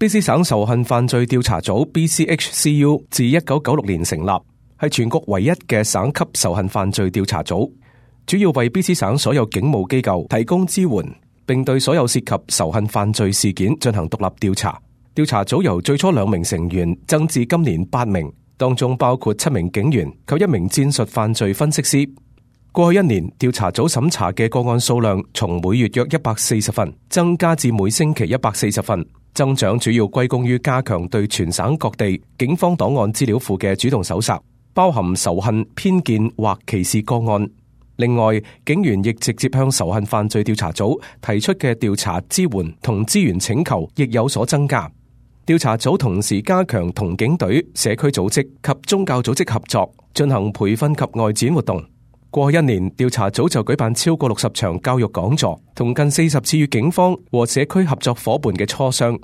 BC 省仇恨犯罪調查組 BCHCU 自1996年成立，係全國唯一嘅省級仇恨犯罪調查組，主要為 BC 省所有警務機構提供支援，並對所有涉及仇恨犯罪事件進行獨立調查。調查組由最初2名成員增至今年8名，當中包括7名警員及1名戰術犯罪分析師。過去1年，調查組審查嘅個案數量從每月約140份增加至每星期140份，增長主要歸功於加強對全省各地警方檔案資料庫嘅主動搜查，包含仇恨、偏見或歧視個案。另外，警員亦直接向仇恨犯罪調查組提出嘅調查支援同資源請求亦有所增加。調查組同時加強同警隊、社區組織及宗教組織合作，進行培訓及外展活動。過去1年，調查組就舉辦超過60場教育講座，同近40次與警方和社區合作夥伴嘅磋商。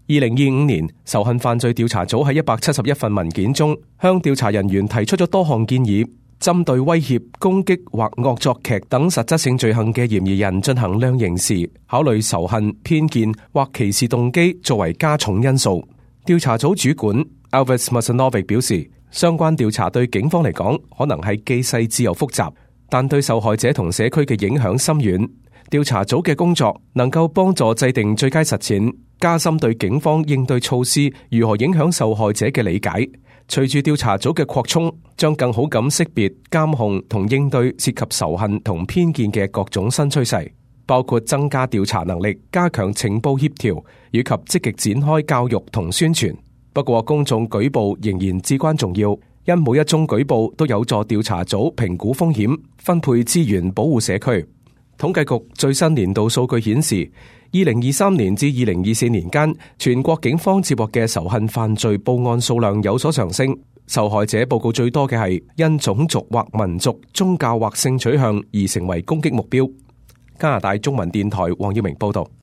2025年，仇恨犯罪調查組喺171份文件中，向調查人員提出咗多項建議，針對威脅、攻擊或惡作劇等實質性罪行嘅嫌疑人進行量刑時，考慮仇恨、偏見或歧視動機作為加重因素。調查組主管 Alvis Masanovic 表示，相關調查對警方嚟講可能係既細緻又複雜，但對受害者同社區嘅影響深遠。調查組嘅工作能夠幫助制定最佳實踐，加深對警方應對措施如何影響受害者嘅理解。隨住調查組嘅擴充，將更好咁識別、監控同應對涉及仇恨同偏見嘅各種新趨勢，包括增加調查能力、加強情報協調以及積極展開教育同宣傳。不過，公眾舉報仍然至關重要，因每一宗舉報都有助調查組評估風險、分配資源、保護社區。統計局最新年度數據顯示，2023年至2024年間，全國警方接獲嘅仇恨犯罪報案數量有所上升。受害者報告最多嘅係因種族或民族、宗教或性取向而成為攻擊目標。加拿大中文電台黃耀明報道。